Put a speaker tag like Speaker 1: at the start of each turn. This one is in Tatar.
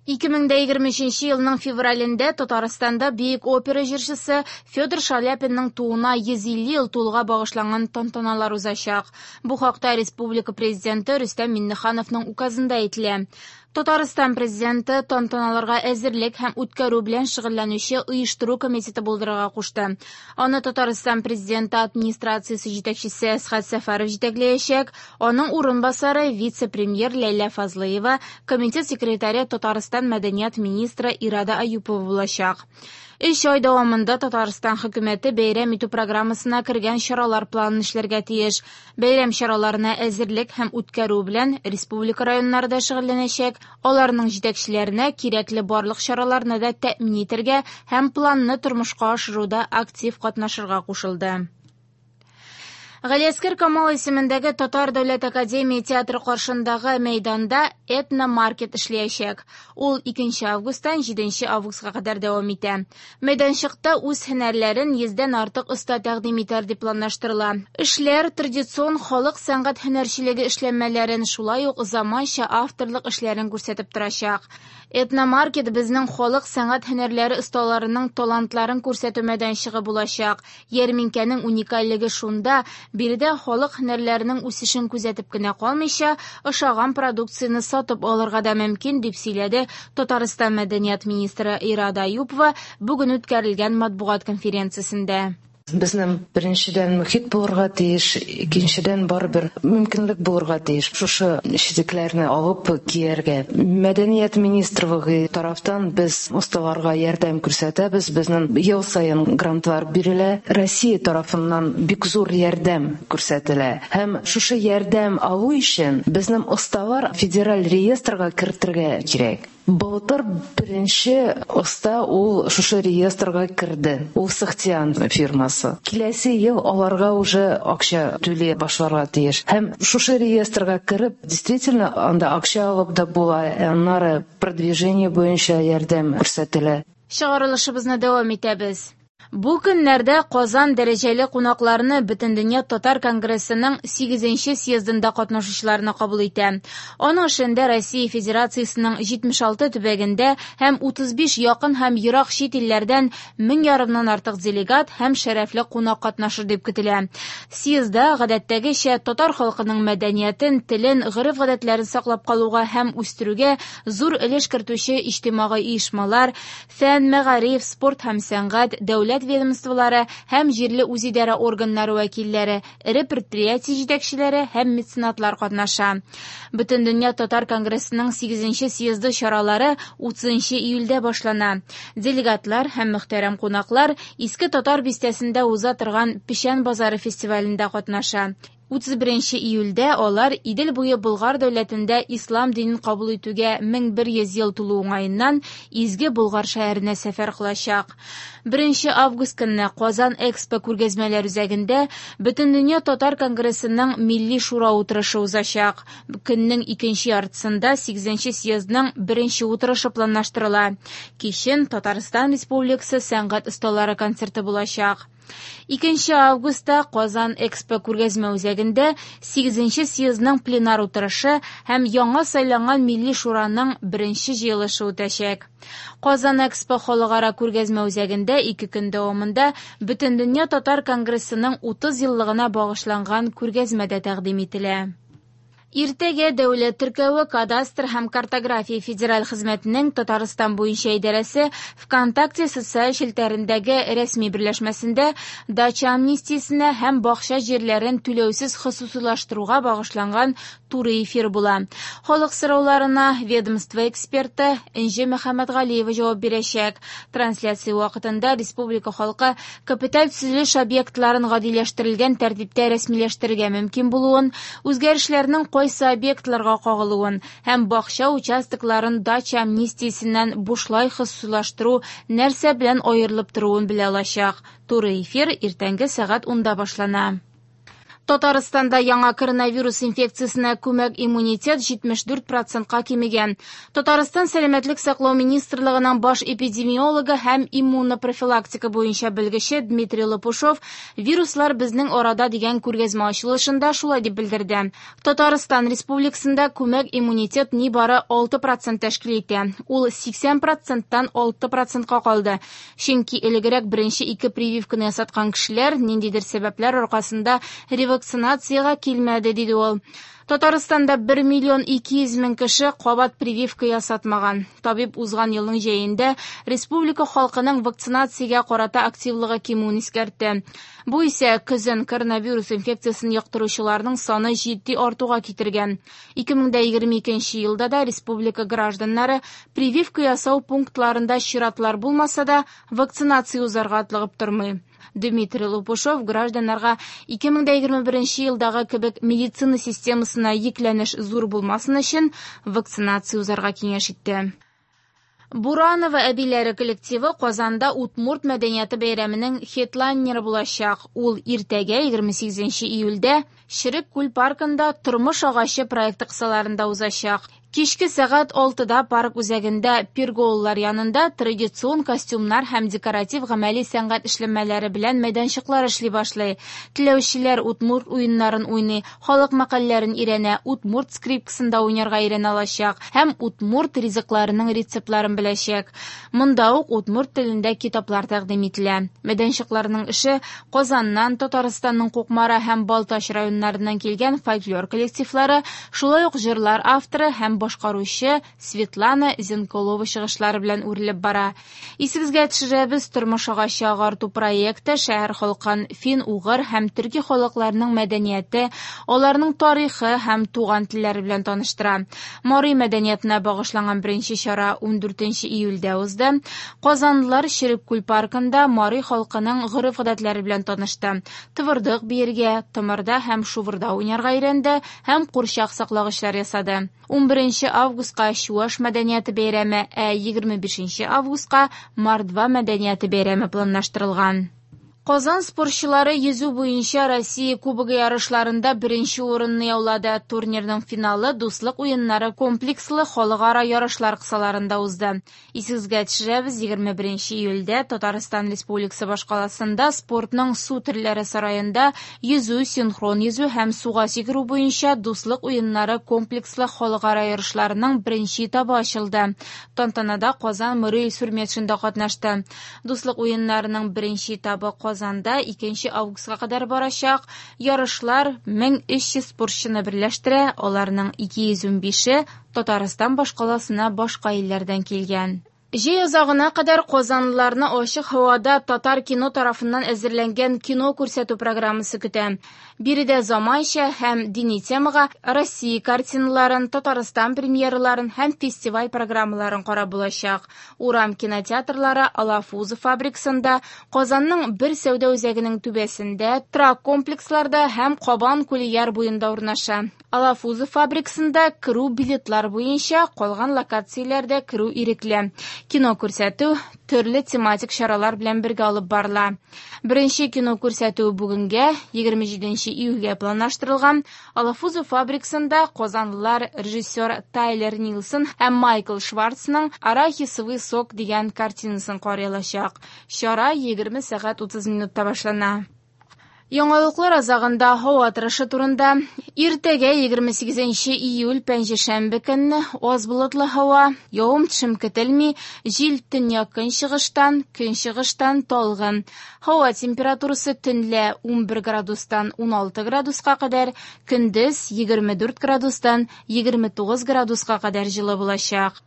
Speaker 1: 2023 елның февралендә Татарстанда бөек опера җырчысы Федор Шаляпинның тууына 150 ел тулуга багышланган тантаналар узачак. Бу хакта республика Президенты Рөстәм Миңнехановның указында әйтелә. Татарстан Президенты тантаналарга әзерлек һәм үткәрү белән шөгыльләнүче оештыру комитеты булдырырга кушты. Аны Татарстан Президенты администрациясе җитәкчесе Әсхәт Сәфәров җитәкләячәк, аның урынбасары вице-премьер Ләйлә Фазлыева, комитет секретаре Татарстан мәдәният министры Ирада Аюпова булачак. Өч ай дәвамында Татарстан хөкүмәте бәйрәм итү программасына кергән чаралар планын эшләргә тиеш. Бәйрәм чараларына әзерлек һәм үткәрү белән республика районнары да шөгыльләнәчәк. Аларның җитәкчеләренә кирәкле барлык чараларны да тәэмин итәргә һәм планны тормышка ашыруда актив катнашырга кушылды. Галиәсгар Камал исемендәге Татар дәүләт академия театры каршындагы мәйданда этномаркет эшләячәк. Ул 2 августтан 7 августка кадәр дәвам итә. Мәйданчыкта үз һөнәрләрен 100дән артык оста тәкъдим итәр дип планлаштырыла. Эшләр традицион халык сәнгать һөнәрчелеге эшләнмәләрен, шулай ук заманча авторлык эшләрен күрсәтеп торачак. Этномаркет безнең халык сәнгать һөнәрләре осталарының талантларын күрсәтү мәйданчыгы булачак. Ярминкәнең уникальлеге шунда, биредә халык һөнәрләренең үсешен күзәтеп кенә калмыйча, ошаган продукцияне сатып алырга да мөмкин, дип сөйләде Татарстан мәдәният министры Ирада Аюпова бүген үткәрелгән матбугат конференциясендә.
Speaker 2: Безнең беренчедән мөхит булырга тиеш, икенчедән барыбер мөмкинлек булырга тиеш шушы читекләрне алып кияргә. Мәдәният министрлыгы тарафтан без осталарга ярдәм күрсәтәбез, безнең ел саен грантлар бирелә. Россия тарафыннан бик зур ярдәм күрсәтелә. Һәм шушы ярдәм алу өчен безнең осталар федераль реестрга кертергә кирәк. Былтыр беренче оста ул шушы реестрга керде. Ул Сахтиан фирмасы. Киләсе ел аларга уже акча түли башларга тиеш. Һәм шушы реестрга кереп, действительно, анда акча алып да була, аннары продвижение буенча ярдәм күрсәтелә.
Speaker 1: Чыгарылышыбызны дәвам итәбез. Бу көннәрдә Казан дәрәҗәле кунакларны Бөтендөнья татар конгрессының 8нче съездында катнашучыларны кабул итә. Аның эшендә Россия Федерациясенең 76 төбәгендә һәм 35 якын һәм ерак чит илләрдән 1500 артык делегат һәм шәрәфле кунак катнашыр дип көтелә. Съездда гадәттәгечә татар халкының мәдәниятен, телен, гореф-гадәтләрен саклап калуга һәм үстерүгә зур өлеш кертүче иҗтимагый оешмалар, фән, мәгариф, спорт һәм сәнгать, дәүләт ведомстволары һәм җирле үзидарә органнары вәкилләре, эре предприятие җитәкчеләре һәм меценатлар катнаша. Бөтендөнья татар конгрессының 8нче съезды чаралары 30 июльдә башлана. Делегатлар һәм мөхтәрәм кунаклар Иске Татар бистәсендә уза торган Печән базары фестивалендә катнаша. 31 июльдә алар Идел буе Болгар дәүләтендә ислам динен кабул итүгә 1100 ел тулу уңаеннан Изге Болгар шәһәренә сәфәр кылачак. 1 август көнне Казан Экспо күргәзмәләр үзәгендә Бөтендөнья татар конгрессының Милли шура утырышы узачак. Көннең икенче яртысында 8нче съездның беренче утырышы планлаштырыла. Кичен Татарстан Республикасы сәнгать осталары концерты булачак. 2 августта Казан Экспо күргәзмә үзәгендә 8нче съездның пленар утырышы һәм яңа сайланган Милли шураның беренче җыелышы үтәчәк. Казан Экспо халыкара күргәзмә үзәгендә 2 көн дәвамында Бөтендөнья татар конгрессының 30 еллыгына багышланган күргәзмә дә тәкъдим ителә. Иртәгә дәүләт теркәве, кадастр һәм картография федераль хезмәтенең Татарстан буенча идарәсе ВКонтакте социаль челтәрендәге рәсми берләшмәсендә дача амнистиясенә һәм бакча җирләрен түләүсез хосусыйлаштыруга багышланган туры эфир була. Халык сорауларына ведомство эксперты Энҗе Мөхәммәтгалиева җавап бирәчәк. Трансляция вакытында республика халкы капиталь төзелеш объектларын гадиләштерелгән тәртиптә рәсмиләштерергә мөмкин булуын, үзгәрешләрнең кайсы объектларга кагылуын һәм бакча участокларын дача амнистиясеннән бушлай хосусыйлаштыру нәрсә белән аерылып торуын белә алачак. Туры эфир иртәнге сәгать 10-да башлана. Татарстанда яңа коронавирус инфекциясенә күмәк иммунитет 74 процентка кимегән. Татарстан Сәламәтлек саклау министрлыгының баш эпидемиологы һәм иммунопрофилактика буенча белгече Дмитрий Лопушов «Вируслар безнең арада» дигән күргәзмә ачылышында шулай дип белдерде. Татарстан Республикасында күмәк иммунитет нибары 6 процент тәшкил итә. Ул 80 проценттан 6 процентка калды. Чөнки элегрәк беренче ике прививканы ясаткан кешеләр ниндидер сәбәпләр аркасында ревакцинациягә килмәде, диде ул. Татарстанда 1 миллион 200 мең кеше кабат прививка ясатмаган. Табиб узган елның җәендә республика халкының вакцинациягә карата активлыгы кимүен искәртте. Бу исә көзен коронавирус инфекциясен йоктыручыларның саны җитди артуга китергән. 2022 елда да республика гражданнары прививка ясау пунктларында чиратлар булмаса да, вакцинация узарга атлыгып тормый. Дмитрий Лопушов гражданнарга 2021 елдагы кебек медицина системасына йөкләнеш зур булмасын өчен вакцинация узарга киңәш итте. Буранова әбиләре коллективы Казанда Удмурт мәдәнияте бәйрәменең хедлайнеры булачак. Ул иртәгә 28 июльдә Черек күл паркында Тормыш агачы проекты кысаларында узачак. Кичке сәгать 6-да парк үзәгендә перголалар янында традицион костюмнар һәм декоратив гамәли сәнгать эшләнмәләре белән мәйданчыклар эшли башлый. Теләүчеләр удмурт уеннарын уйный, халык мәкальләрен өйрәнә, удмурт скрипкасында уйнарга өйрәнә алачак һәм удмурт ризыкларының рецептларын беләчәк. Монда ук удмурт телендә китаплар тәкъдим ителә. Мәйданчыкларның эше Казаннан, Татарстанның Кукмара һәм Балтач районнарыннан килгән фольклор коллективлары, шулай ук җырлар авторы һәм башкаручы Светлана Зенколова чыгышлары белән үрелеп бара. Исегезгә төшерәбез, Тормыш агачы агарту проекты шәһәр халкын фин-угыр һәм төрки халыкларының мәдәнияте, аларның тарихы һәм туган телләре белән таныштыра. Мари мәдәниятына багышланган беренче чара 14 июльдә узды. Казанлылар Черек күл паркында мари халкының гореф-гадәтләре белән танышты. Тывырдык биергә, тымырда һәм шувырда уйнарга өйрәнде һәм курчак саклагычлар ясады. 11 августка Чуаш мәдәнияте бәйрәме, ә 25 августка Мордва мәдәнияте бәйрәме планлаштырылган. Казан спортчылары йөзү буенча Россия Кубогы ярышларында беренче урынны яулады. Турнирның финалы Дуслык уеннары комплекслы халыкара ярышлар кысаларында узды. Исегезгә төшерәбез, 21 июльдә Татарстан Республикасы башкаласында спортның су төрләре сараенда йөзү, синхрон йөзү һәм суга сикерү буенча Дуслык уеннары комплекслы халыкара ярышларының беренче этабы ачылды. Тантанада Казан мэры Илсур Метшин да катнашты. Дуслык уеннарының беренче этабы Казанда 2 августка кадәр барачак. Ярышлар 1300 спортчыны берләштерә, аларның 215-е Татарстан башкаласына башка илләрдән килгән. Җәй азагына кадәр казанлыларны ачык һавада Татар кино тарафыннан әзерләнгән кино күрсәтү программасы көтә. Биредә заманча һәм дини темага Россия картиналарын, Татарстан премьераларын һәм фестиваль программаларын карап булачак. Урам кинотеатрлары Алафузов фабрикасында, Казанның бер сәүдә үзәгенең түбәсендә, торак комплексларда һәм Кабан күле яр буенда урнаша. Алафузов фабрикасында керү билетлар буенча, калган локацияләрдә керү ирекле. Кино күрсәтү төрле тематик чаралар белән бергә алып барыла. Беренче кино күрсәтү бүгенгә 27 июльгә планлаштырылган. Алафузов фабрикасында казанлылар режиссер Тайлер Нилсон һәм Майкл Шварцның Арахисовый сок дигән картинасын карый алачак. Чара 20 сәгать 30 минутта башлана. Яңалыклар азагында һава торышы турында. Иртәгә 28 июль пәнҗешәмбе көнне аз болытлы һава, явым-төшем көтелми, җил төньяк көнчыгыштан, көнчыгыштан талгын. Һава температурасы төнлә 11 градустан 16 градуска кадәр, көндез 24 градустан 29 градуска кадәр җылы булачак.